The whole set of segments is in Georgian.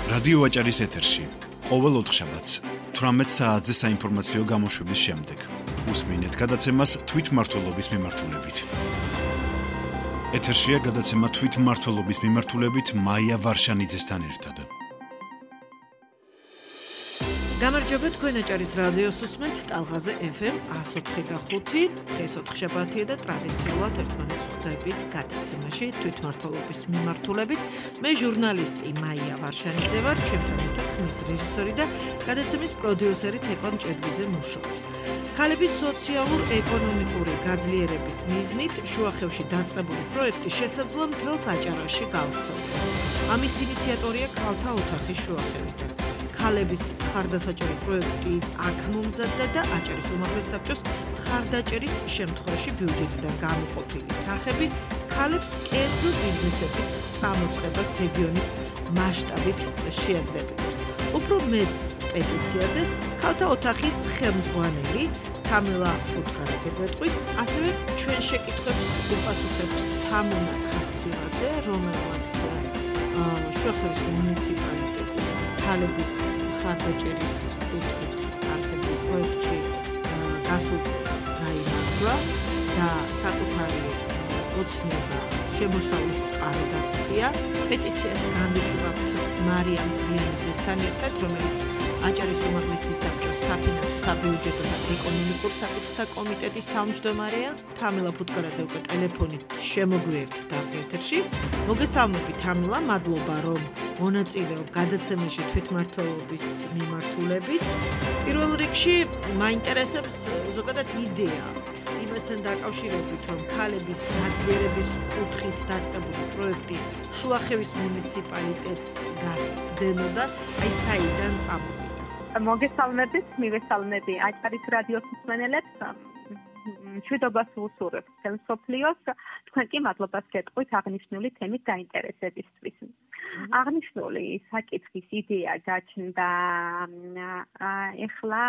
რადიო აჭარის ეთერში ყოველ ოთხშაბათს 18 საათზე საინფორმაციო გამოშვების შემდეგ უსმინეთ გადაცემას თვითმმართველობის მიმართულებით. ეთერშია გადაცემა თვითმმართველობის მიმართულებით მაია ვარშანიძესთან ერთად. გამარჯობა, თქვენ აჭარის რადიოს უსმენთ ტალღაზე FM 104.5. დღეს ოთხშაბათია და ტრადიციულად ერთმანეთს ხვდებით გადაცემაში თვითმმართველობის მიმართულებით. მე ჟურნალისტი მაია ვარშანიძე ვარ, ჩემთან ერთად ხმის რეჟისორი და გადაცემის პროდიუსერი თეკლა მჭედლიძე მუშაობს. ქალების სოციალურ-ეკონომიკური გაძლიერების მიზნით შუახევში დაწყებული პროექტი შესაძლოა მთელს აჭარაში გავრცელდეს. ამის ინიციატორია ქალთა ოთახი შუახევიდან. ქალების მხარდასაჭერი პროექტი აქ მომზადდა და აჭარის უმაღლეს საბჭოს მხარდაჭერის შემთხვევაში ბიუჯეტიდან გამოყოფილი თანხები ქალებს კერძო ბიზნესების წამოწყებას რეგიონის მასშტაბით შეაძლებლებს. უფრო მეც პეტიციაზე ქალთა ოთახის ხელმძღვანელი თამილა პუტკარაძე გვეტყვის, ასევე ჩვენ შეკითხვებს უპასუხებს თამუნა ქარციელაძე, რომელიც შუახევის მუნიციპალიტეტის ქალების მხარდაჭერის კუთხით არსებულ პროექტში გასულ წელს გაიმარჯვა და საკუთარი ოცნება შემოსავლის წყარო გაქცია. პეტიციას განვიხილავთ მარიამ ბრიანიძესთან ერთად, რომელიც აჭარის უმაღლესი საბჭოს საფინანსო, საბიუჯეტო და ეკონომიკურ საკითხთა კომიტეტის თავმჯდომარეა. თამილა პუტკარაძე უკვე ტელეფონით შემოგვიერთდა ეთერში. მოგესალმებით თამილა, მადლობა რომ მონაწილეობ გადაცემაში თვითმმართველობის მიმართულებით. პირველ რიგში მაინტერესებს ზოგადად იდეა იმასთან დაკავშირებით, რომ ქალების გაძლიერების კუთხით დაწყებული პროექტი შუახევის მუნიციპალიტეტს გასცდენოდა, აი საიდან წამოვიდა. მოგესალმებით, მივესალმები აჭარის რადიოს მსმენელებს. მშვიდობას ვუსურვებ მთელ მსოფლიოს, თქვენ კი მადლობას გეტყვით აღნიშნული თემით დაინტერესებისთვის. აღნიშნული საკითხის იდეა გაჩნდა ეხლა,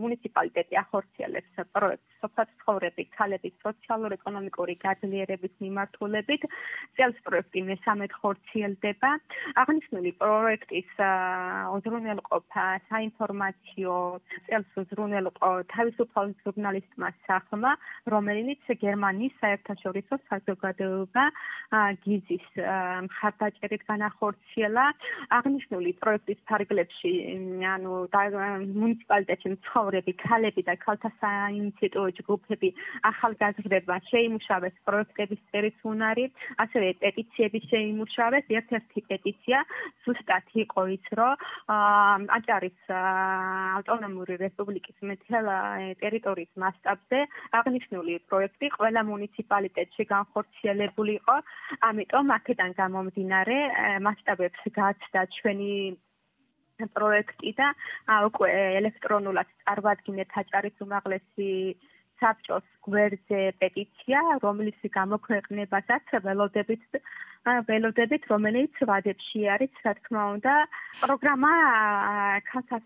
მუნიციპალიტეტი ახორციელებს პროექტს სოფლად ცხოვრები ქალების სოციალურ-ეკონომიკური გაძლიერების მიმართულებით. წელს პროექტი მესამედ ხორციელდება. აღნიშნული პროექტის უზრუნველყოფა საინფორმაციო წელს უზრუნველყო თავისუფალ ჟურნალისტმა სახმა, რომელიც გერმანიის საერთაშორისო საზოგადოება გიზის მხარდაჭერით განახორციელა. აღნიშნული პროექტის ფარგლებში მუნიციპალიტეტში მცხოვრები ქალები და ქალთა საინიციატივო ჯგუფები ახალგაზრდებმა შეიმუშავეს პროექტების წერის უნარი, ასევე პეტიციები შეიმუშავეს. ერთ-ერთი პეტიცია ზუსტად იყო ის, რომ აჭარის ავტონომიური რესპუბლიკის მთელ ტერიტორიის მასშტაბზე აღნიშნული პროექტი ყველა მუნიციპალიტეტში განხორციელებული იყო. ამიტომ აქედან გამომდინარე მასშტაბებს გააჩნდა ჩვენი პროექტი და უკვე ელექტრონულად წარვადგინეთ აჭარის უმაღლესი საბჭოს გვერდზე პეტიცია, რომლის გამოქვეყნებასაც ველოდებით, რომელიც ვადებში არის, რა თქმა უნდა. პროგრამა ქალთა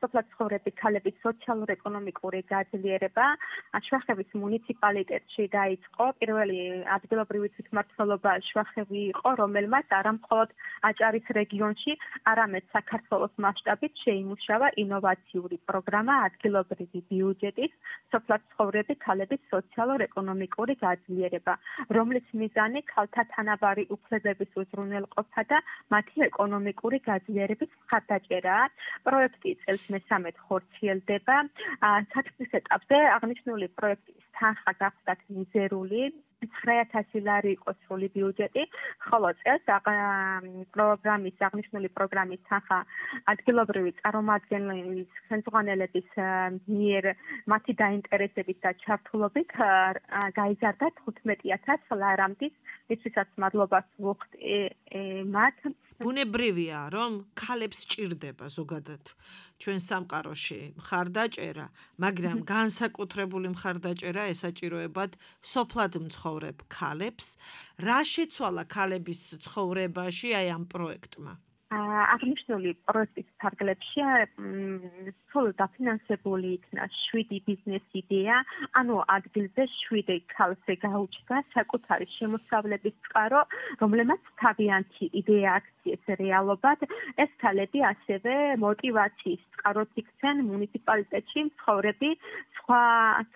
სოფლად ცხოვრები ქალების სოციალურ-ეკონომიკური გაძლიერება შუახევის მუნიციპალიტეტში დაიწყო. პირველი ადგილობრივი თვითმმართველობა შუახევი იყო, რომელმაც არა მხოლოდ აჭარის რეგიონში, არამედ საქართველოს მასშტაბით შეიმუშავა ინოვაციური პროგრამა ადგილობრივი ბიუჯეტის სოფლად ცხოვრები ქალების სოციალურ-ეკონომიკური გაძლიერება, რომლის მიზანი ქალთა თანაბარი უფლებების უზრუნველყოფა და მათი ეკონომიკური გაძლიერების მხარდაჭერაა. პროექტი წელს მესამედ ხორციელდება. საწყის ეტაპზე აღნიშნული პროექტის თანხა გახდათ მიზერული 9,000 ლარი იყო სრული ბიუჯეტი, ხოლო წელს აღნიშნული პროგრამის თანხა ადგილობრივი წარმომადგენლების ხელმძღვანელების მიერ მათი დაინტერესებით და ჩართულობით გაიზარდა 15,000 ლარამდე. ისვისაც მადლობას ვუხდი მათ. ბუნებრივია, რომ ქალებს სჭირდება ზოგადად ჩვენ სამყაროში მხარდაჭერა, მაგრამ განსაკუთრებული მხარდაჭერა ესაჭიროებად სოფლად მცხოვრებ ქალებს. რა შეცვალა ქალების ცხოვრებაში აი ამ პროექტმა? აღნიშნული პროექტის ფარგლებში სულ დაფინანსებული იქნა 7 ბიზნეს იდეა, ანუ ადგილზე 7 ქალზე გაუჩნდა საკუთარი შემოსავლების წყარო, რომლებმაც თავიანთი იდეა აქციეს რეალობად. ეს ქალები ასევე მოტივაციის წყაროდ იქცენ მუნიციპალიტეტში მცხოვრები სხვა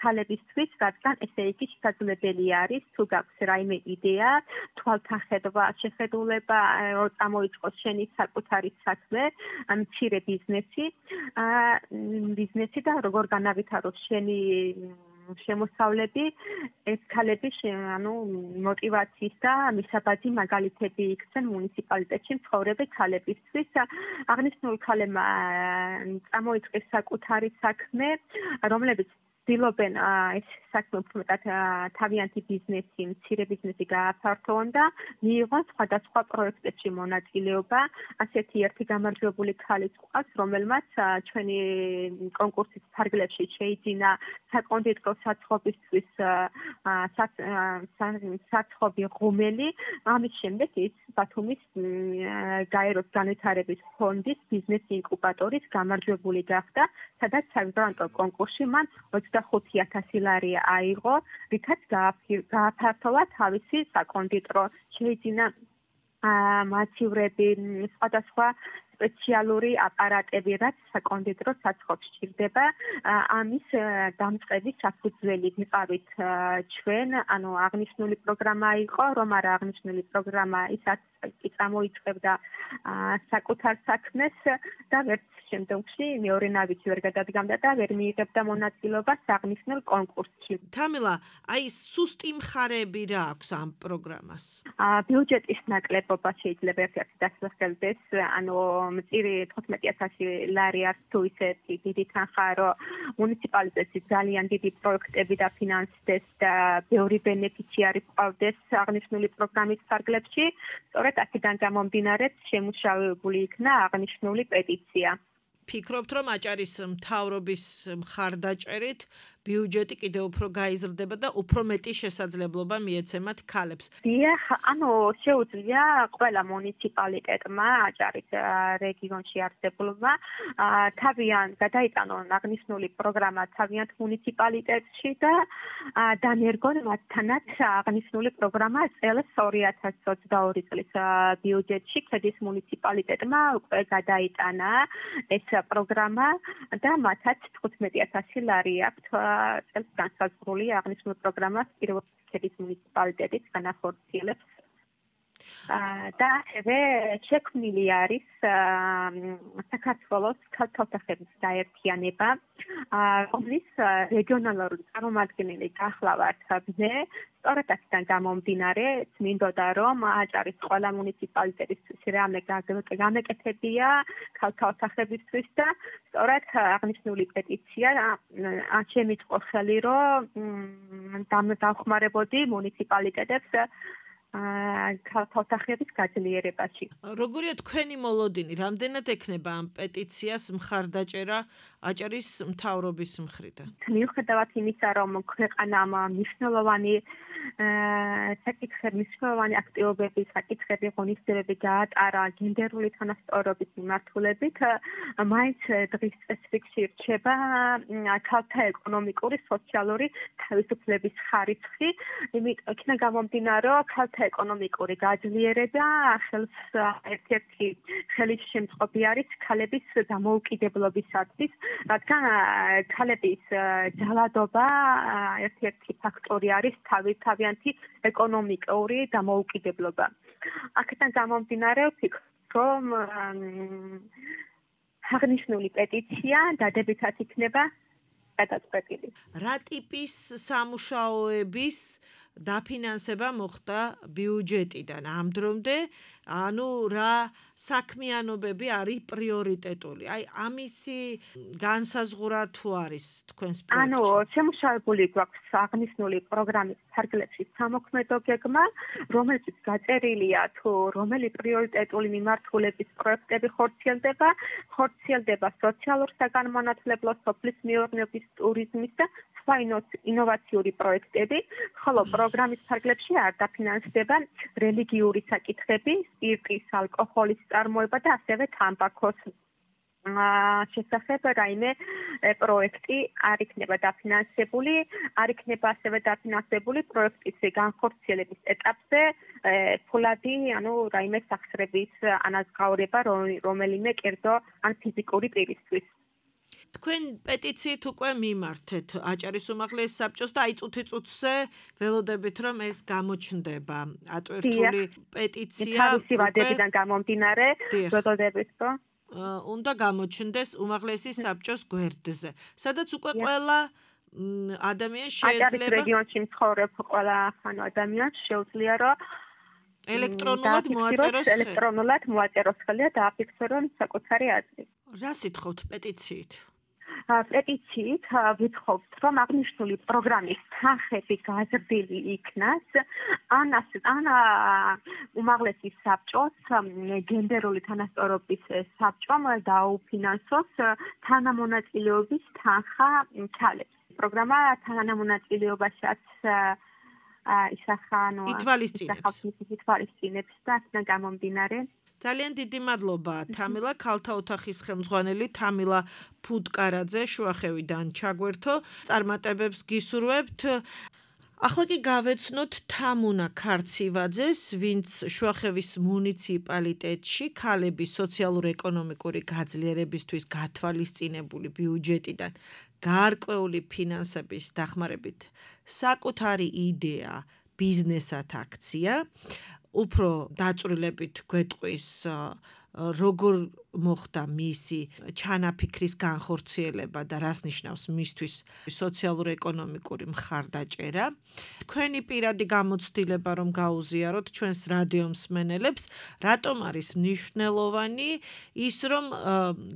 ქალებისთვის, რადგან ესე იგი შესაძლებელი არის თუ გაქვს რაიმე იდეა, თვალთახედვა, შეხედულება, წამოიწყოს შენი საკუთარი საქმე, მცირე ბიზნესი და როგორ განავითაროს შენი შემოსავლები, ეს ქალები მოტივაციის და მისაბაძი მაგალითები იქცენ მუნიციპალიტეტში მცხოვრები ქალებისთვის. აღნიშნულ ქალებმა წამოიწყეს საკუთარი საქმე, რომლებიც ცდილობენ ეს საქმე უფრო თავიანთი ბიზნესი, მცირე ბიზნესი გააფართოვონ და მიიღონ სხვადასხვა პროექტებში მონაწილეობა. ასეთი ერთი გამარჯვებული ქალი ყავს, რომელმაც ჩვენი კონკურსის ფარგლებში შეიძინა საკონდიტრო საცხობისთვის საცხობი ღუმელი. ამის შემდეგ ის ბათუმის გაეროს განვითარების ფონდის ბიზნეს ინკუბატორის გამარჯვებული გახდა, სადაც საგრანტო კონკურსში მან 25,000 ლარი აიღო, რითაც გააფართოვა თავისი საკონდიტრო, შეიძინა მაცხოვრები, სხვადასხვა სპეციალური აპარატები, რაც საკონდიტრო საცხობს სჭირდება. ამის დამწყების საფუძველი ვიყავით ჩვენ, ანუ აღნიშნული პროგრამა იყო, რომ არა აღნიშნული პროგრამა ისაც კი წამოიწყებდა საკუთარ საქმეს და ვერც შემდგომში მეორე ნავით ვერ გადადგამდა და ვერ მიიღებდა მონაწილეობას აღნიშნულ კონკურსში. თამილა, აი სუსტი მხარეები რა აქვს ამ პროგრამას? ბიუჯეტის ნაკლებობა შეიძლება ერთ-ერთი დასახელდეს, ანუ მწირი 15,000 ლარი არის თუ ისე დიდი თანხა, რომ მუნიციპალიტეტში ძალიან დიდი პროექტები დაფინანსდეს და ბევრი ბენეფიციარი ჰყავდეს აღნიშნული პროგრამის ფარგლებში. სწორედ აქედან გამომდინარე შემუშავებული იქნა აღნიშნული პეტიცია. ფიქრობთ, რომ აჭარის მთავრობის მხარდაჭერით ბიუჯეტი კიდევ უფრო გაიზრდება და უფრო მეტი შესაძლებლობა მიეცემათ ქალებს? დიახ, ანუ შეუძლია ყველა მუნიციპალიტეტმა აჭარის რეგიონში არსებულმა თავიანთ გადაიტანონ აღნიშნული პროგრამა თავიანთ მუნიციპალიტეტში და დანერგონ მათთანაც აღნიშნული პროგრამა წელს 2022 წლის ბიუჯეტში ქედის მუნიციპალიტეტმა უკვე გადაიტანა ეს პროგრამა და მათაც 15,000 ლარი აქვთ წელს განსაზღვრული აღნიშნული პროგრამას ქედის მუნიციპალიტეტიც განახორციელებს. და ასევე შექმნილი არის საქართველოს ქალთათახების გაერთიანება, რომლის რეგიონალური წარმომადგენელი გახლავართ მე. სწორედ აქედან გამომდინარე, წმინდოდა რომ აჭარის ყველა მუნიციპალიტეტის რამე გამეკეთებია ქალთათახებისთვის და სწორედ აღნიშნული პეტიცია შემიწყო ხელი, რომ დავხმარებოდი მუნიციპალიტეტებს ქალთათახების გაძლიერებაში. როგორია თქვენი მოლოდინი? რამდენად ექნება ამ პეტიციას მხარდაჭერა აჭარის მთავრობის მხრიდან? მიუხედავად იმისა, რომ ქვეყანამ მნიშვნელოვანი საკითხები აქტივობები, საკითხები ღონისძიებები გაატარა გენდერული თანასწორობის მიმართულებით, მაინც დღის წესრიგში რჩება ქალთა ეკონომიკური, სოციალური თავისუფლების ხარისხი. იქიდან გამომდინარე, რომ ქალთა ეკონომიკური გაძლიერება ხელს ერთ-ერთი ხელისშემწყობი არის ქალების დამოუკიდებლობისათვის, რადგან ქალების ჯალადობა ერთ-ერთი ფაქტორი არის თავიანთი ეკონომიკური დამოუკიდებლობა. აქედან გამომდინარე ვფიქრობ, რომ აღნიშნული პეტიცია დადებითად იქნება გადაწყვეტილი. რა ტიპის სამუშაოების დაფინანსება მოხდა ბიუჯეტიდან ამ დრომდე, ანუ რა საქმიანობები არის პრიორიტეტული? აი ამისი განსაზღვრა თუ არის თქვენს პროექტში? ანუ შემუშავებული გვაქვს აღნიშნული პროგრამის ფარგლებში სამოქმედო გეგმა, რომელიც გაწერილია თუ რომელი პრიორიტეტული მიმართულების პროექტები ხორციელდება სოციალურ საგანმანათლებლო, სოფლის მეურნეობის, ტურიზმის და სხვა ინოვაციური პროექტები, ხოლო პროგრამის ფარგლებში არ დაფინანსდება რელიგიური საკითხები, სპირტის, ალკოჰოლის წარმოება და ასევე თამბაქოს შესახებ რაიმე პროექტი არ იქნება დაფინანსებული, არ იქნება ასევე დაფინანსებული პროექტის განხორციელების ეტაპზე ფულადი, რაიმე სახსრების ანაზღაურება რომელიმე კერძო ან ფიზიკური პირისთვის. თქვენ პეტიციით უკვე მიმართეთ აჭარის უმაღლეს საბჭოს და აი წუთი-წუთზე ველოდებით რომ ეს გამოჩნდება. ატვირთული პეტიცია თავისი ვადებიდან გამომდინარე ველოდებით რომ უნდა გამოჩნდეს უმაღლესი საბჭოს გვერდზე, სადაც უკვე ყველა ადამიანი შეიძლება აჭარის რეგიონში მცხოვრებ ყველა ადამიანს შეუძლია რომ ელექტრონულად მოაწეროს ხელი და დააფიქსიროს საკუთარი აზრი. რა სიტყვით პეტიციით? პეტიციით ვითხოვთ, რომ აღნიშნული პროგრამის სახები გაზრდილი იქნას, ან უმაღლესი საბჭოს გენდერული თანასწორობის საბჭომ დაუფინანსოს თანამონაწილეობის თანხა ქალებს. პროგრამა თანამონაწილეობასაც ითვალისწინებს და აქედან გამომდინარე ძალიან დიდი მადლობა თამილა ქალთა ოთახის ხელმძღვანელი თამილა ფუტკარაძე შუახევიდან ჩაგვერთო წარმატებებს გისურვებთ. ახლა კი გავეცნოთ თამუნა ქარცივაძეს, ვინც შუახევის მუნიციპალიტეტში ქალების სოციალურ-ეკონომიკური გაძლიერებისთვის გათვალისწინებული ბიუჯეტიდან გარკვეული ფინანსების დახმარებით საკუთარი იდეა ბიზნესად აქცია. უფრო დაწვრილებით გვეტყვის როგორ მოხდა მისი ჩანაფიქრის განხორციელება და რას ნიშნავს მისთვის სოციალურ-ეკონომიკური მხარდაჭერა. თქვენი პირადი გამოცდილება რომ გაუზიაროთ ჩვენს რადიო მსმენელებს, რატომ არის მნიშვნელოვანი ის რომ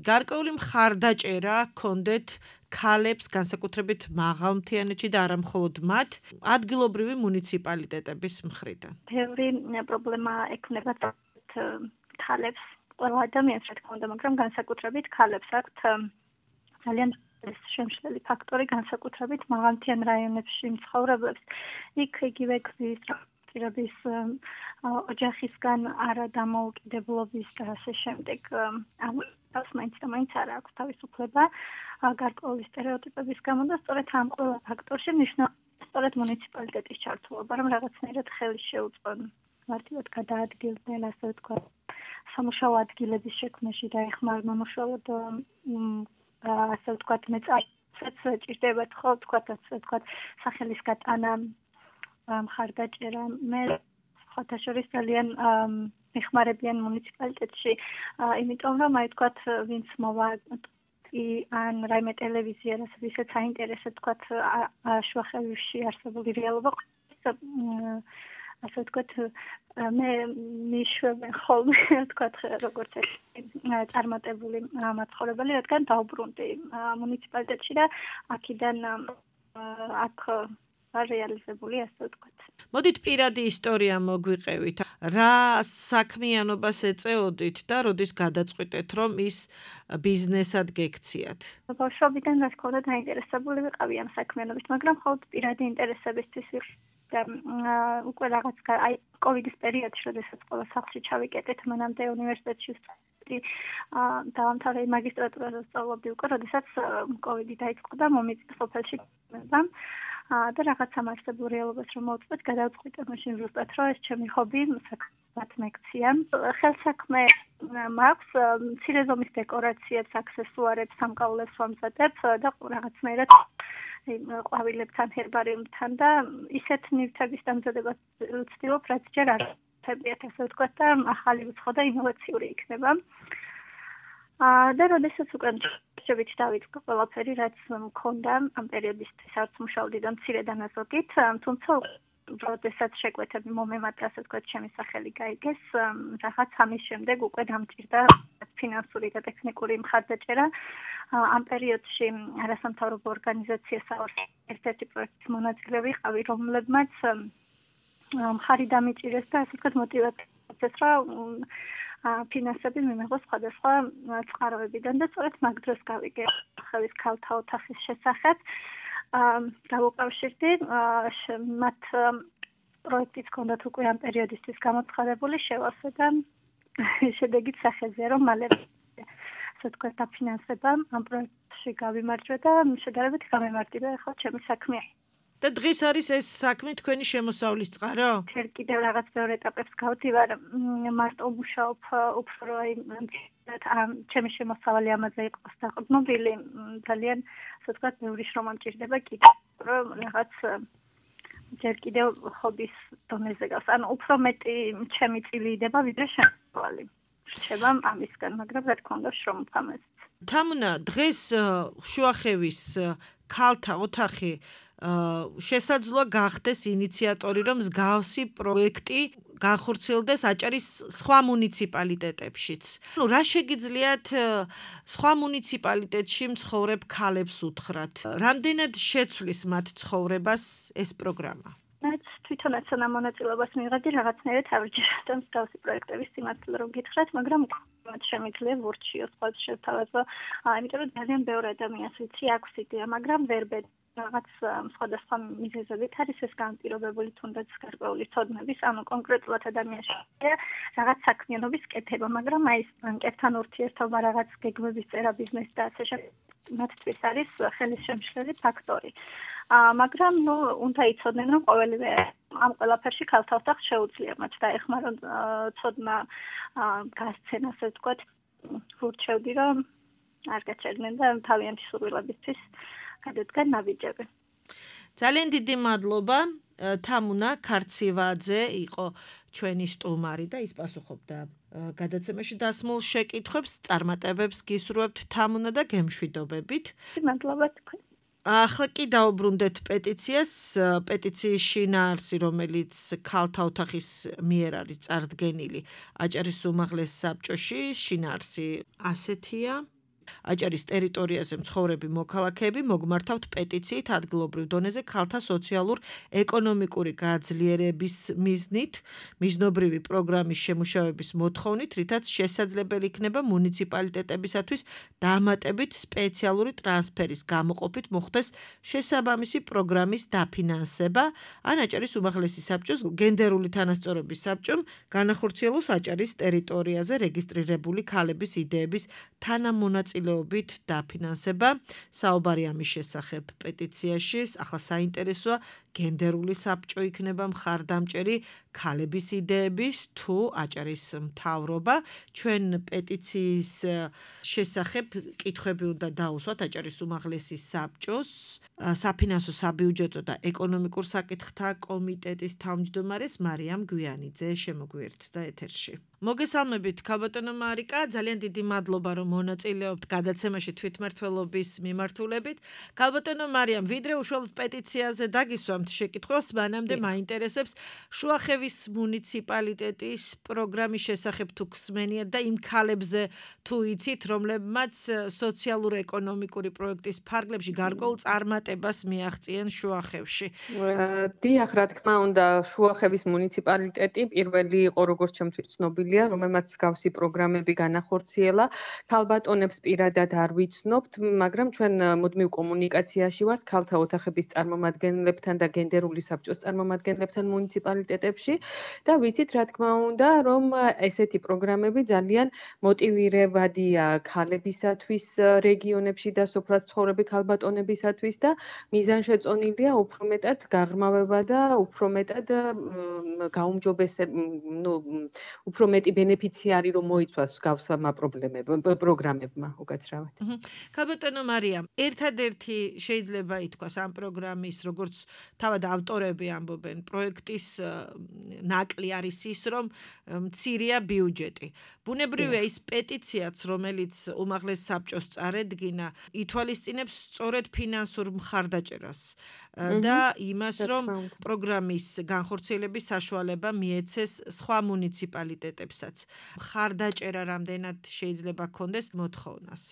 გარკვეული მხარდაჭერა გქონდეთ ქალებს განსაკუთრებით მაღალმთიანეთში და არა მხოლოდ მათ ადგილობრივი მუნიციპალიტეტების მხრიდან. ბევრი პრობლემა ექნება ქალებს ყველა ადამიანს რა თქმა უნდა, მაგრამ განსაკუთრებით ქალებს აქვთ ძალიან შემშლელი ფაქტორი განსაკუთრებით მაღალმთიან რაიონებში მცხოვრებლებს. იქ იგივე გზის პირების ოჯახისგან არადამოუკიდებლობის და ასე შემდეგ ამას მაინც და მაინც არ აქვს თავისუფლება გარკვეული სტერეოტიპების გამო და სწორედ ამ ყველა ფაქტორში მნიშვნელოვანია სწორედ მუნიციპალიტეტის ჩართულობა, რომ რაღაცნაირად ხელი შეუწყონ მარტივად გადაადგილდნენ ასე ვთქვათ სამუშაო ადგილების შექმნაში დაეხმარება მოშალოდ ასე ვთქვათ მეწარმეებს ჭირდებათ ხო ვთქვათ სახელის გატანა მხარდაჭერა მე ხოთა შორის ძალიან მეხმარებიან მუნიციპალიტეტში იმიტომ რომ აი ვთქვათ ვინც მოვა ან რაიმე ტელევიზია რასაც აინტერესებს ვთქვათ შუახევში არსებული რეალობა ასე ვთქვათ მე მიშვებენ ხოლმე ვთქვათ როგორც წარმატებული მაცხოვრებელი რადგან დაუბრუნდი მუნიციპალიტეტში და აქედან აქ რეალიზებული ასე ვთქვათ. მოდით პირადი ისტორია მოგვიყევით. რა საქმიანობას ეწეოდით და როდის გადაწყვიტეთ რომ ის ბიზნესად გექციათ? ბავშვობიდან რა თქმა უნდა დაინტერესებული ვიყავი ამ საქმიანობით, მაგრამ მხოლოდ პირადი ინტერესებისთვის და უკვე რაღაც აი კოვიდის პერიოდში, როდესაც ყველა სახლში ჩავიკეტეთ, მანამდე უნივერსიტეტში დაამთავრე მაგისტრატურაზე სწავლობდი უკვე, როდესაც კოვიდი დაიწყო და მომიწია სოფელში და რაღაც ამარსებულ რეალობას რომ მოვწვეთ, გადავწყვიტე მაშინ ზუსტად რომ ეს ჩემი ჰობი საქმად მეკცია. ხელსაქმე მაქვს, მცირე ზომის დეკორაციებს, აქსესუარებს, სამკაულებს ვამზადებ და რაღაცნაირად ყვავილებთან, ჰერბარიუმთან და ისეთ ნივთების დამზადებას ვცდილობ, რაც ჯერ არ ხდებიათ, ასე ვთქვათ და ახალი უცხო და ინოვაციური იქნება. და როდესაც უკვე შევით დავიწყო ყველაფერი, რაც მქონდა ამ პერიოდისთვის არც მუშაობდი და მცირე დანაზოგით, თუმცა როდესაც შეკვეთები მომემატა, ასე ვთქვათ, ჩემი სახელი გაიგეს, რაღაც ამის შემდეგ უკვე დამჭირდა ფინანსური და ტექნიკური მხარდაჭერა. ამ პერიოდში არასამთავრობო ორგანიზაციასა ერთ-ერთი პროექტის მონაწილე ვიყავი, რომლებმაც მხარი დამიჭირეს და ასე ვთქვათ მოტივაციას რომ ფინანსები მიმეღოს სხვადასხვა წყაროებიდან და სწორედ მაგ დროს გავიგე ხევის ქალთა ოთახის შესახებ. გავუკავშირდი მათ პროექტიც ჰქონდათ უკვე ამ პერიოდისთვის გამოცხადებული შევასე და შედეგით სახეზეა რომ მალე ასე თქვა დაფინანსება ამ პროექტში გავიმარჯვე და შედარებით გამემართება ახლა ჩემი საქმე. და დღეს არის ეს საქმე თქვენი შემოსავლის წყარო? თერ კიდევ რაღაც ბევრ ეტაპებს გავდივარ, მარტო მუშაობ უფრო ჩემი შემოსავალი ამაზე იყოს დაყრდნობილი, ძალიან ასე ვთქვათ, ბევრი შრომა მჭირდება კიდევ, რომ რაღაც ჯერ კიდევ ხობის დონეზე გავს. ანუ უფრო მეტი ჩემი წილი იდება, ვიდრე შემოსავალი. რჩება ამისგან, მაგრამ რა თქმა უნდა შრომა ამას. თამუნა, დღეს შუახევის ქალთა ოთახი შესაძლოა გახდეს ინიციატორი, რომ მსგავსი პროექტი განხორციელდეს აჭარის სხვა მუნიციპალიტეტებშიც. რა შეგიძლიათ სხვა მუნიციპალიტეტში მცხოვრებ ქალებს უთხრათ? რამდენად შეცვლის მათ ცხოვრებას ეს პროგრამა? მეც თვითონაც მონაწილეობას მივიღებდი რაღაცნაირად ავირჩიოთ მსგავსი პროექტების სიმართლე რომ გითხრათ, მაგრამ მათ შემიძლია ვურჩიო სხვა შეთავაზო, იმიტომ რომ ძალიან ბევრი ადამიანს ვიცი აქვს იდეა, მაგრამ ვერ ბედი რაღაც სხვადასხვა მიზეზებით არის ეს განპირობებული თუნდაც გარკვეული ცოდნების, ანუ კონკრეტულად ადამიანს რაღაც საქმიანობის კეთება, მაგრამ აი ეს ბანკებთან ურთიერთობა, რაღაც გეგმების წერა, ბიზნესი და ასე შემდეგ მათთვის არის ხელის შემშლელი ფაქტორი. მაგრამ უნდა იცოდნენ, რომ ყოველივე ამ ყველაფერში ქალთა ოთახს შეუძლია მათ დაეხმარონ ცოდნა გასცენ, ასე ვთქვათ, ვურჩევდი, რომ არ გაჩერდნენ და თავიანთი სურვილებისთვის გადადგან ნაბიჯები. ძალიან დიდი მადლობა. თამუნა ქარცივაძე იყო ჩვენი სტუმარი და ის პასუხობდა გადაცემაში დასმულ შეკითხვებს, წარმატებებს გისურვებთ თამუნა და გემშვიდობებით. მადლობა თქვენ. ახლა კი დაუბრუნდეთ პეტიციას, პეტიციის შინაარსი, რომელიც ქალთა ოთახის მიერ არის წარდგენილი აჭარის უმაღლეს საბჭოში, შინაარსი ასეთია. აჭარის ტერიტორიაზე მცხოვრები მოქალაქეები მოგმართავთ პეტიციით ადგილობრივ დონეზე ქალთა სოციალურ-ეკონომიკური გაძლიერების მიზნით, მიზნობრივი პროგრამის შემუშავების მოთხოვნით, რითაც შესაძლებელი იქნება მუნიციპალიტეტებისათვის დამატებით სპეციალური ტრანსფერის გამოყოფით მოხდეს შესაბამისი პროგრამის დაფინანსება, ან აჭარის უმაღლესი საბჭოს გენდერული თანასწორობის საბჭომ განახორციელოს აჭარის ტერიტორიაზე რეგისტრირებული ქალების იდეების თანამონაწილეობით დაფინანსება. საუბარი ამის შესახებ პეტიციაში, ახლა საინტერესოა გენდერული საბჭო იქნება მხარდამჭერი ქალების იდეების თუ აჭარის მთავრობა. ჩვენ პეტიციის შესახებ კითხვები უნდა დაუსვათ აჭარის უმაღლესი საბჭოს საფინანსო, საბიუჯეტო და ეკონომიკურ საკითხთა კომიტეტის თავმჯდომარეს მარიამ გვიანიძე შემოგვიერთდა ეთერში. მოგესალმებით, ქალბატონო მარიკა, ძალიან დიდი მადლობა, რომ მონაწილეობთ გადაცემაში თვითმმართველობის მიმართულებით. ქალბატონო მარიამ, ვიდრე უშუალოდ პეტიციაზე დაგისვამთ შეკითხვას, მანამდე მაინტერესებს შუახევის მუნიციპალიტეტის პროგრამის შესახებ თუ გსმენიათ და იმ ქალებზე თუ იცით, რომლებმაც სოციალურ-ეკონომიკური პროექტის ფარგლებში გარკვეულ წარმატებას მიაღწიენ შუახევში. დიახ, რა თქმა უნდა, შუახევის მუნიციპალიტეტი პირველი იყო, როგორც ჩემთვის ცნობილია, რომელმაც მსგავსი პროგრამები განახორციელა. ქალბატონებს პირადად არ ვიცნობთ, მაგრამ ჩვენ მუდმივ კომუნიკაციაში ვართ ქალთა ოთახების წარმომადგენლებთან და გენდერული საბჭოს წარმომადგენლებთან მუნიციპალიტეტებში და ვიცით, რა თქმა უნდა, რომ ესეთი პროგრამები ძალიან მოტივირებადია ქალებისათვის რეგიონებში და სოფლად მცხოვრები ქალბატონებისათვის და მიზანშეწონილია უფრო მეტად გაღრმავება და უფრო მეტად უფრო მეტი ბენეფიციარი რომ მოიცვას მსგავსმა პროგრამებმა უკაცრავად. ქალბატონო მარიამ, ერთადერთი შეიძლება ითქვას ამ პროგრამის, როგორც თავად ავტორები ამბობენ, პროექტის ნაკლი არის ის, რომ მცირეა ბიუჯეტი. ბუნებრივია ის პეტიციაც, რომელიც უმაღლეს საბჭოს წარედგინა, ითვალისწინებს სწორედ ფინანსურ მხარდაჭერას და იმას, რომ პროგრამის განხორციელების საშუალება მიეცეს სხვა მუნიციპალიტეტებს. პროექტებსაც. ხარდაჭერა რამდენად შეიძლება გქონდეს მოთხოვნას?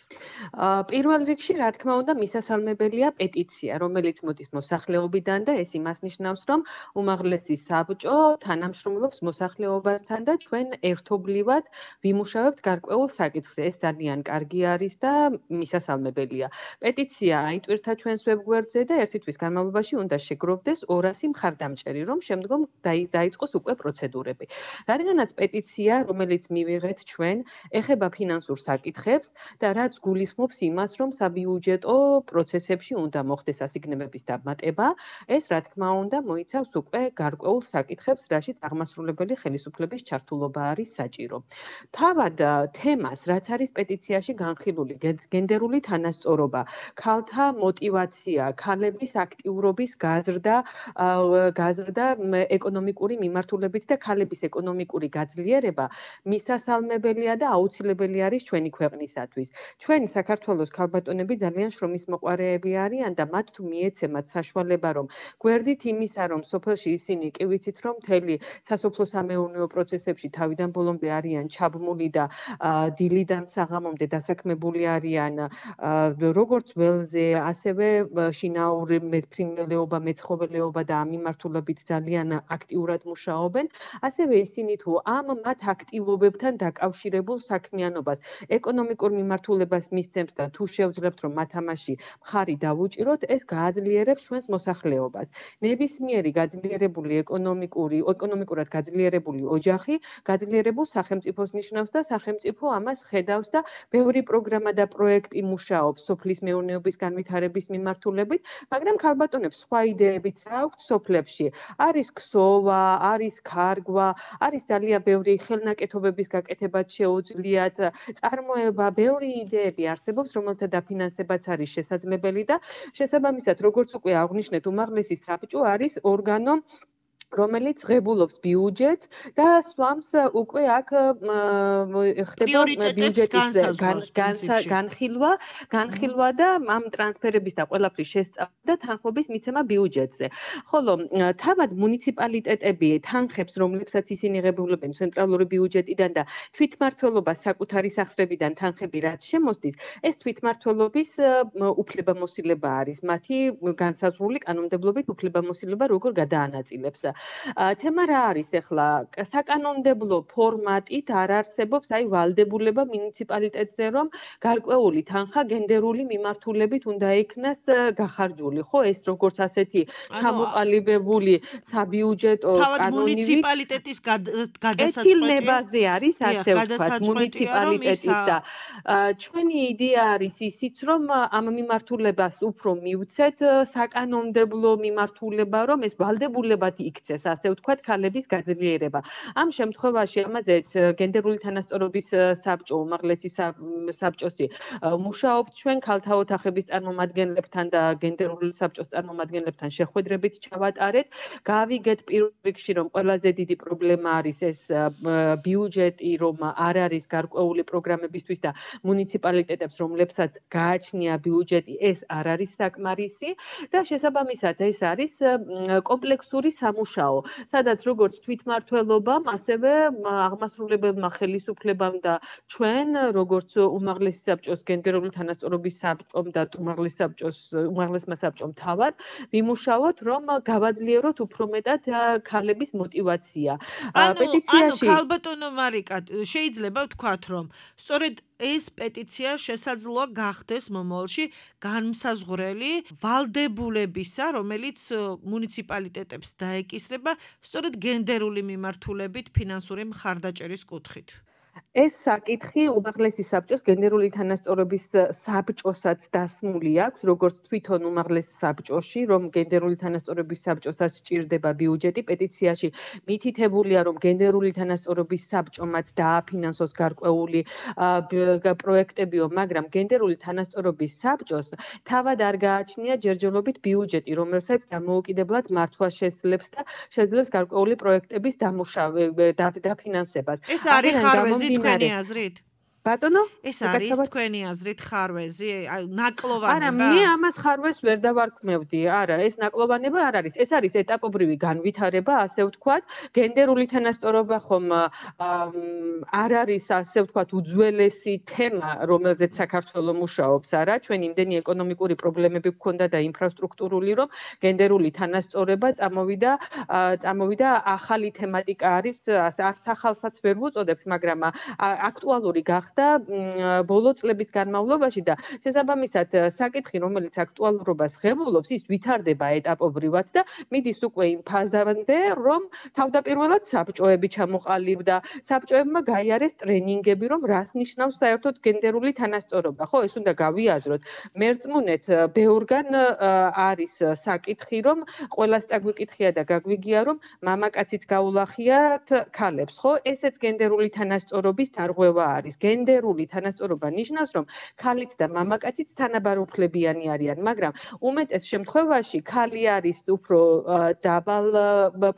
პირველ რიგში, რა თქმა უნდა, მისასალმებელია პეტიცია, რომელიც მოდის მოსახლეობიდან და ეს იმას ნიშნავს, რომ უმაღლესი საბჭო თანამშრომლობს მოსახლეობასთან და ჩვენ ერთობლივად ვიმუშავებთ გარკვეულ საკითხზე. ეს ძალიან კარგი არის და მისასალმებელია. პეტიცია აიტვირთა ჩვენს ვებგვერდზე და ერთი თვის განმავლობაში უნდა შეგროვდეს 200 მხარდამჭერი, რომ შემდგომ დაიწყოს უკვე პროცედურები. რადგანაც პეტიცია, რომელიც მივიღეთ ჩვენ, ეხება ფინანსურ საკითხებს და რაც გულისხმობს იმას, რომ საბიუჯეტო პროცესებში უნდა მოხდეს ასიგნებების დამატება, ეს რა თქმა უნდა მოიცავს უკვე გარკვეულ საკითხებს, რაშიც აღმასრულებელი ხელისუფლების ჩართულობა არის საჭირო. თავად თემას, რაც არის პეტიციაში განხილული, გენდერული თანასწორობა, ქალთა мотиваცია, ქალების აქტიურობის გაზრდა ეკონომიკური მიმართულებით და ქალების ეკონომიკური გაძლიერება მისასალმებელია და აუცილებელი არის ჩვენი ქვეყნისათვის. ჩვენი საქართველოს ქალბატონები ძალიან შრომის მოყვარეები არიან და მათ თუ მიეცემათ საშუალება, რომ გვერდით იმისა, რომ სოფელში ისინი კი ვიცით, რომ მთელი სასოფლო-სამეურნეო პროცესებში თავიდან ბოლომდე არიან ჩაბმული და დილიდან საღამომდე დასაქმებული არიან როგორც ველზე, ასევე შინაური მეფრინველეობა, მეცხოველეობა და ამ მიმართულებით ძალიან აქტიურად მუშაობენ, ასევე ისინი თუ ამ მათ აქტივობებთან დაკავშირებულ საქმიანობას ეკონომიკურ მიმართულებას მისცემს და თუ შევძლებთ, რომ მათ ამაში მხარი დავუჭიროთ, ეს გააძლიერებს ჩვენს მოსახლეობას. ნებისმიერი გაძლიერებული ეკონომიკურად გაძლიერებული ოჯახი გაძლიერებულ სახელმწიფოს ნიშნავს და სახელმწიფო ამას ხედავს და ბევრი პროგრამა და პროექტი მუშაობს სოფლის მეურნეობის განვითარების მიმართულებით, მაგრამ ქალბატონებს სხვა იდეებიც აქვთ სოფლებში. არის ქსოვა, არის ქარგვა, არის ძალიან ბევრი ხელნაკეთობების გაკეთებაც შეუძლიათ, წარმოება, ბევრი იდეები არსებობს, რომელთა დაფინანსებაც არის შესაძლებელი და შესაბამისად, როგორც უკვე აღვნიშნეთ, უმაღლესი საბჭო არის ორგანო, რომელიც ღებულობს ბიუჯეტს და swams უკვე აქ ხდება ბიუჯეტის განხილვა და ამ ტრანსფერების და ყველაფრის შესწავლა და თანხმობის მიცემა ბიუჯეტზე. ხოლო თავად მუნიციპალიტეტები თანხებს, რომლებსაც ისინი ღებულებენ ცენტრალური ბიუჯეტიდან და თვითმმართველობას საკუთარი სახსრებიდან თანხები რაც შემოსდის, ეს თვითმმართველობის უფლებამოსილება არის. მათი განსაზღვრული კანონმდებლობით უფლებამოსილება როგორ გადაანაწილებს. თემა რა არის ახლა? საკანონმდებლო ფორმატით არ არსებობს აი ვალდებულება მუნიციპალიტეტზე, რომ გარკვეული თანხა გენდერული მიმართულებით უნდა იქნას გახარჯული, ხო? ეს როგორც ასეთი ჩამოყალიბებული საბიუჯეტო კანონივით მუნიციპალიტეტის გადასაწყვეტი არის, ასე ვთქვათ, მუნიციპალიტეტის და ჩვენი იდეა არის ისიც, რომ ამ მიმართულებას უფრო მივცეთ საკანონმდებლო მიმართულება, რომ ეს ვალდებულებად იქცეს, ასე ვთქვათ, ქალების გაძლიერება. ამ შემთხვევაში ამაზეც გენდერული თანასწორობის საბჭო, უმაღლესი საბჭოსი მუშაობთ ჩვენ ქალთა ოთახების წარმომადგენლებთან და გენდერული საბჭოს წარმომადგენლებთან შეხვედრებით ჩავატარეთ. გავიგეთ პირველ რიგში, რომ ყველაზე დიდი პრობლემა არის ეს ბიუჯეტი, რომ არ არის გარკვეული პროგრამებისთვის და მუნიციპალიტეტებს, რომლებსაც გააჩნია ბიუჯეტი, ეს არ არის საკმარისი და შესაბამისად ეს არის კომპლექსური სამუშაო, სადაც როგორც თვითმმართველობამ, ასევე აღმასრულებელმა ხელისუფლებამ და ჩვენ, როგორც უმაღლესი საბჭოს გენდერული თანასწორობის საბჭომ და უმაღლესმა საბჭომ თავად, ვიმუშაოთ, რომ გავაძლიეროთ უფრო მეტად ქალების мотиваცია. პეტიციაში ქალბატონო მარიკა, შეიძლება ვთქვათ, რომ სწორედ ეს პეტიცია შესაძლოა გახდეს მომავალში განმსაზღვრელი ვალდებულებისა, რომელიც მუნიციპალიტეტებს დაეკისრება სწორედ გენდერული მიმართულებით ფინანსური მხარდაჭერის კუთხით. ეს საკითხი უმაღლესი საბჭოს გენდერული თანასწორობის საბჭოსაც დასმული აქვს, როგორც თვითონ უმაღლეს საბჭოში, რომ გენდერული თანასწორობის საბჭოსაც სჭირდება ბიუჯეტი. პეტიციაში მითითებულია, რომ გენდერული თანასწორობის საბჭომაც დააფინანსოს გარკვეული პროექტებიო, მაგრამ გენდერული თანასწორობის საბჭოს თავად არ გააჩნია ჯერჯერობით ბიუჯეტი, რომელსაც დამოუკიდებლად მართვა შეძლებს და შეძლებს გარკვეული პროექტების დაფინანსებას. ეს არის ხარვეზი თქვენი აზრით? ბატონო ეს არის თქვენი აზრით ხარვეზი ნაკლოვანება არა მე ამას ხარვეს ვერ დავარქმევდი არა ეს ნაკლოვანება არ არის ეს არის ეტაპობრივი განვითარება ასე ვთქვათ გენდერული თანასწორობა ხომ არ არის ასე ვთქვათ უძველესი თემა რომელზეც საქართველო მუშაობს არა ჩვენ იმდენი ეკონომიკური პრობლემები გქონდა და ინფრასტრუქტურული რომ გენდერული თანასწორობა წამოვიდა ახალი თემატიკა არის არც ახალსაც ვერ ვუწოდებთ მაგრამ აქტუალური გახდა ბოლო წლების განმავლობაში და შესაბამისად საკითხი რომელიც აქტუალურობას ღებულობს ის ვითარდება ეტაპობრივად და მიდის უკვე იმ ფაზამდე რომ თავდაპირველად საბჭოები ჩამოყალიბდა საბჭოებმა გაიარეს ტრენინგები რომ რას ნიშნავს საერთოდ გენდერული თანასწორობა ხო ეს უნდა გავიაზროთ მერწმუნეთ ბევრგან არის საკითხი რომ ყველას წაგვიკითხია და გაგვიგია რომ მამაკაციც გაულახიათ ქალებს ხო ესეც გენდერული თანასწორობის დარღვევა არის გენდერული თანასწორობა ნიშნავს რომ ქალიც და მამაკაციც თანაბარუფლებიანი არიან მაგრამ უმეტეს შემთხვევაში ქალი არის უფრო დაბალ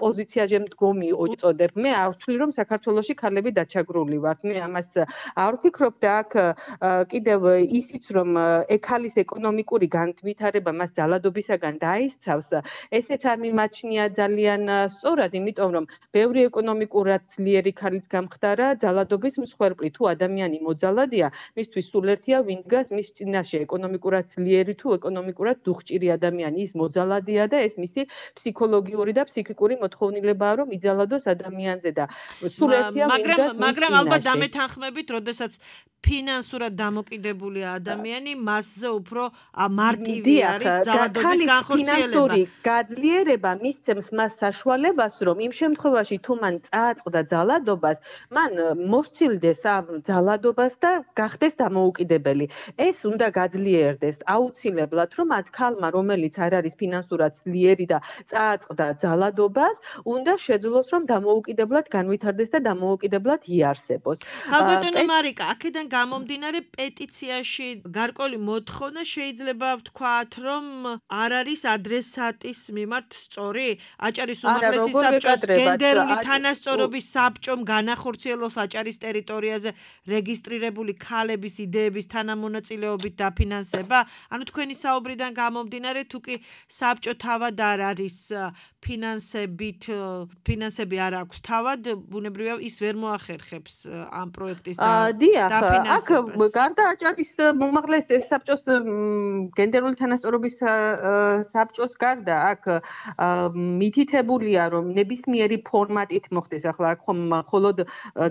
პოზიციაზე მდგომი უწოდებ მე არ ვთვლი რომ საქართველოში ქალები დაჩაგრული ვართ მე ამას არ ვფიქრობ და აქ კიდევ ისიც რომ ქალის ეკონომიკური განვითარება მას ძალადობისაგან დაისცავს ესეც არ მიმაჩნია ძალიან სწორად იმიტომ რომ ბევრი ეკონომიკურად ძლიერი ქალიც გამხდარა ძალადობის მსხვერპლი თუ ადამიანი მოძალადია მისთვის სულ ერთია ვინ დგას მის წინაშე ეკონომიკურად ძლიერი თუ ეკონომიკურად დუხჭირი ადამიანი ის მოძალადია და ეს მისი ფსიქოლოგიური და ფსიქიკური მოთხოვნილებაა რომ იძალადოს ადამიანზე და სულ ერთია ვინ დგას მაგრამ ალბათ დამეთანხმებით როდესაც ფინანსურად დამოკიდებული ადამიანი მასზე უფრო მარტივი არის ძალადობის განხორციელება ფინანსური გაძლიერება მისცემს მას საშუალებას რომ იმ შემთხვევაში თუ მან წააწყდა ძალადობას მან მოსცილდეს ამ ძალადობას და გახდეს დამოუკიდებელი ეს უნდა გაძლიერდეს აუცილებლად რომ მათ ქალმა რომელიც არ არის ფინანსურად ძლიერი და წააწყდა ძალადობას უნდა შეძლოს რომ დამოუკიდებლად განვითარდეს და დამოუკიდებლად იარსებოს ალბათო მარიკა აქედან გამომდინარე პეტიციაში გარკვეული მოთხოვნა შეიძლება ვთქვათ რომ არ არის ადრესატის მიმართ სწორი აჭარის უმაღლესი საბჭოს გენდერული თანასწორობის საბჭომ განახორციელოს აჭარის ტერიტორიაზე რეგისტრირებული ქალების იდეების თანამონაწილეობით დაფინანსება ანუ თქვენი საუბრიდან გამომდინარე თუ კი საბჭო თავად არ არის ფინანსები არ აქვს თავად ბუნებრივია ის ვერ მოახერხებს ამ პროექტის აქ გარდა აჭარის უმაღლეს საბჭოს გენდერული თანასწორობის საბჭოს გარდა აქ მითითებულია რომ ნებისმიერი ფორმატით მოხდეს ახლა აქ ხომ მხოლოდ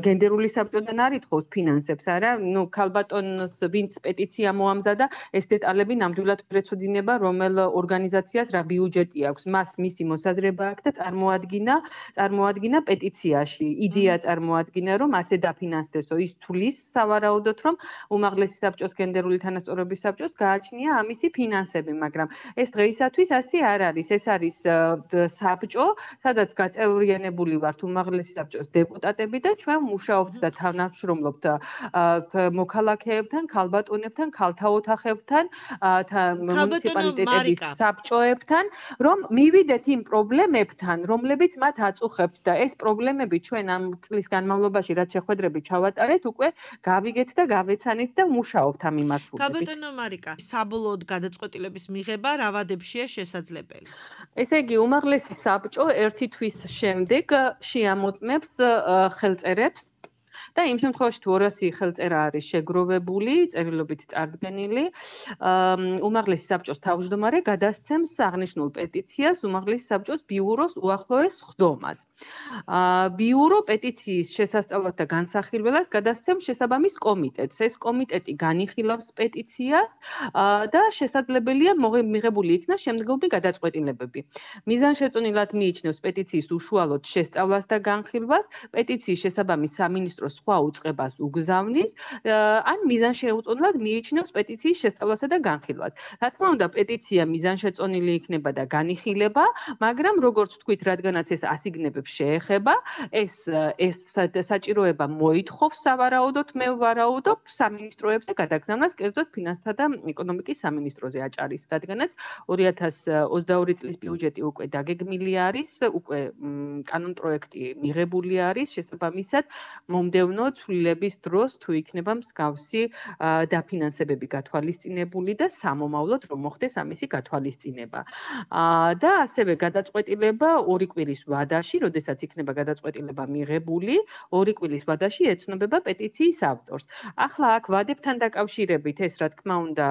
გენდერული საბჭოდან არ ითხოვს ფინანსებს არა ნუ ქალბატონს ვინც პეტიცია მოამზადა ეს დეტალები ნამდვილად ვერ ეცოდინება რომელ ორგანიზაციას რა ბიუჯეტი აქვს მას მისი მოსაზრება აქვს და წარმოადგინა პეტიციაში იდეა წარმოადგინა რომ ასე დაფინანსდესო ის თulis სავარაუდოდ რომ უმაღლესი საბჭოს გენდერული თანასწორობის საბჭოს გააჩნია ამისი ფინანსები მაგრამ ეს დღეისათვის ასე არ არის ეს არის საბჭო სადაც გაწევრიანებული ვართ უმაღლესი საბჭოს დეპუტატები და ჩვენ მუშაობთ და თანამშრომლობთ მოქალაქეებთან ქალბატონებთან ქალთა ოთახებთან მუნიციპალიტეტების საბჭოებთან რომ მივიდეთ იმ პრობლემებთან რომლებიც მათ აწუხებთ და ეს პრობლემები ჩვენ ამ წლის განმავლობაში რაც შეხვედრები ჩავატარეთ უკვე გავიგეთ და გავეცანით და მუშაობთ ამ მიმართულებით. ქალბატონო მარიკა, საბოლოოდ გადაწყვეტილების მიღება რა ვადებში შესაძლებელი? ესე იგი, უმაღლესი საბჭო ერთი თვის შემდეგ შეამოწმებს ხელწერებს და იმ შემთხვევაში თუ 200 ხელწერა არის შეგროვებული, წერილობით წარდგენილი, უმაღლესი საბჭოს თავმჯდომარე გადასცემს აღნიშნულ პეტიციას უმაღლესი საბჭოს ბიუროს უახლოეს სხდომას. ბიურო პეტიციის შესასწავლად და განსახილველად გადასცემს შესაბამის კომიტეტს. ეს კომიტეტი განიხილავს პეტიციას და შესაძლებელია მიღებული იქნას შემდგომი გადაწყვეტილებები. მიზანშეწონილად მიიჩნევს პეტიციის უშუალოდ შესწავლას და განხილვას, პეტიციის შესაბამის სამინისტროს სხვა უწყებას უგზავნის, ან მიზანშეუწონილად მიიჩნევს პეტიციის შესწავლასა და განხილვას. რა თქმა უნდა, პეტიცია მიზანშეწონილი იქნება და განიხილება, მაგრამ როგორც ვთქვით, რადგანაც ეს ასიგნებებს შეეხება, ეს საჭიროება მოითხოვს სავარაუდოდ, მე ვარაუდობ სამინისტროებზე გადაგზავნას, კერძოდ ფინანსთა და ეკონომიკის სამინისტროზე აჭარის, რადგანაც 2022 წლის ბიუჯეტი უკვე დაგეგმილი არის, უკვე კანონპროექტი მიღებული არის, შესაბამისად, მომდევნო სამგზავნო ცვლილების დროს თუ იქნება მსგავსი დაფინანსებები გათვალისწინებული და სამომავლოდ რომ მოხდეს ამისი გათვალისწინება. და ასევე გადაწყვეტილება 2 კვირის ვადაში, როდესაც იქნება გადაწყვეტილება მიღებული, 2 კვირის ვადაში ეცნობება პეტიციის ავტორს. ახლა აქ ვადებთან დაკავშირებით ეს რა თქმა უნდა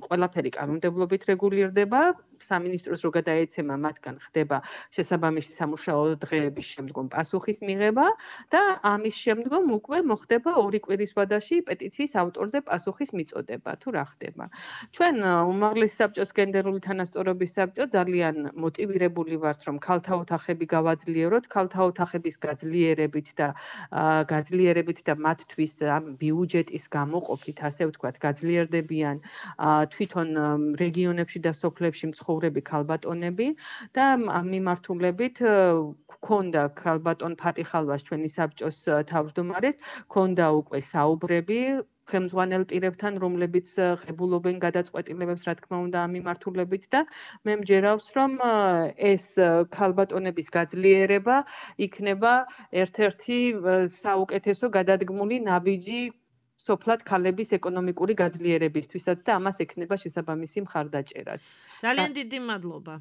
ყველაფერი კანონმდებლობით რეგულირდება. სამინისტროს რო გადაეცემა მათგან ხდება შესაბამისი სამუშაო დღეების შემდგომ პასუხის მიღება და ამის შემდგომ უკვე მოხდება 2 კვირის ვადაში პეტიციის ავტორზე პასუხის მიწოდება თუ რა ხდება. ჩვენ უმაღლესი საბჭოს გენდერული თანასწორობის საბჭო ძალიან მოტივირებული ვართ რომ ქალთა ოთახები გავაძლიეროთ, ქალთა ოთახების გაძლიერებით და მათთვის ამ ბიუჯეტის გამოყოფით, ასე ვთქვათ, გაძლიერდებიან თვითონ რეგიონებში და სოფლებში მცხოვრები ქალბატონები და ამ მიმართულებით გქონდა ქალბატონ ფატიხალვას ჩვენი საბჭოს თავმჯდომარეს, გქონდა უკვე საუბრები ხელმძღვანელ პირებთან, რომლებიც ღებულობენ გადაწყვეტილებებს, რა თქმა უნდა, ამ მიმართულებით და მე მჯერავს, რომ ეს ქალბატონების გაძლიერება იქნება ერთ-ერთი საუკეთესო გადადგმული ნაბიჯი სოფლად ქალების ეკონომიკური გაძლიერებისთვისაც და ამას ექნება შესაბამისი მხარდაჭერაც. ძალიან დიდი მადლობა.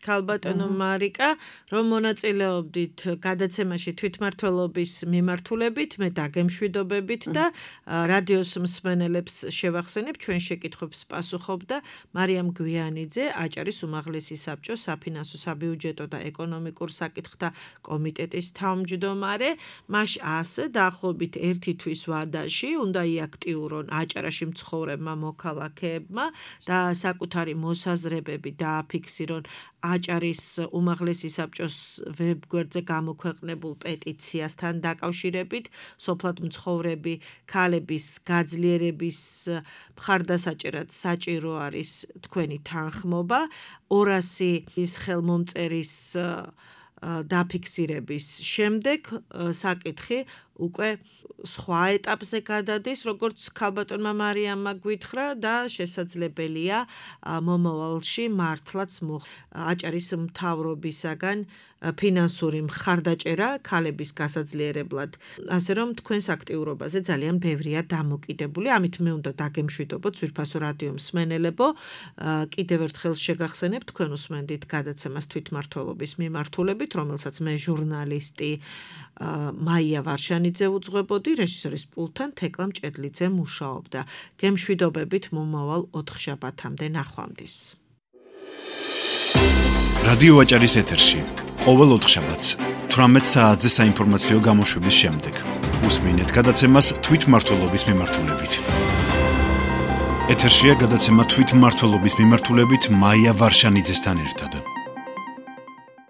ქალბატონო მარიკა, რომ მონაწილეობდით გადაცემაში თვითმმართველობის მიმართულებით, მე დაგემშვიდობებით და რადიოს მსმენელებს შევახსენებ, ჩვენ შეკითხვებს პასუხობდა მარიამ გვიანიძე, აჭარის უმაღლესი საბჭოს საფინანსო, საბიუჯეტო და ეკონომიკურ საკითხთა კომიტეტის თავმჯდომარე. მას ასე დაახლოებით 1 თვის ვადაში უნდა იაქტიურონ აჭარაში მცხოვრებმა მოქალაქეებმა და საკუთარი მოსაზრებები დააფიქსირონ აჭარის უმაღლესი საბჭოს ვებგვერდზე გამოქვეყნებულ პეტიციასთან დაკავშირებით სოფლად მცხოვრები ქალების გაძლიერების მხარდასაჭერად საჭირო არის თქვენი თანხმობა 200 ხელმომწერის დაფიქსირების შემდეგ საკითხი უკვე სხვა ეტაპზე გადადის, როგორც ქალბატონმა მარიამმა გვითხრა და შესაძლებელია მომავალში მართლაც აჭარის მთავრობისაგან ფინანსური მხარდაჭერა ქალების გასაძლიერებლად. ასე რომ თქვენს აქტიურობაზე ძალიან ბევრია დამოკიდებული. ამით მე უნდა დაგემშვიდობოთ ძვირფასო რადიო მსმენელებო. კიდევ ერთხელ შეგახსენებ თქვენ უსმენდით გადაცემას თვითმმართველობის მიმართულებით, რომელსაც მე ჟურნალისტი მაია ვარშანიძე უძღვებოდი, რეჟისორის პულტთან თეკლა მჭედლიძე მუშაობდა. გემშვიდობებით მომავალ 4 შაბათამდე ნახვამდის. რადიო აჭარის ეთერში ყოველ 4 შაბათს 18 საათზე საინფორმაციო გამოშვების შემდეგ უსმინეთ გადაცემას თვითმმართველობის მიმართულებით. ეთერშია გადაცემა თვითმმართველობის მიმართულებით მაია ვარშანიძესთან ერთად.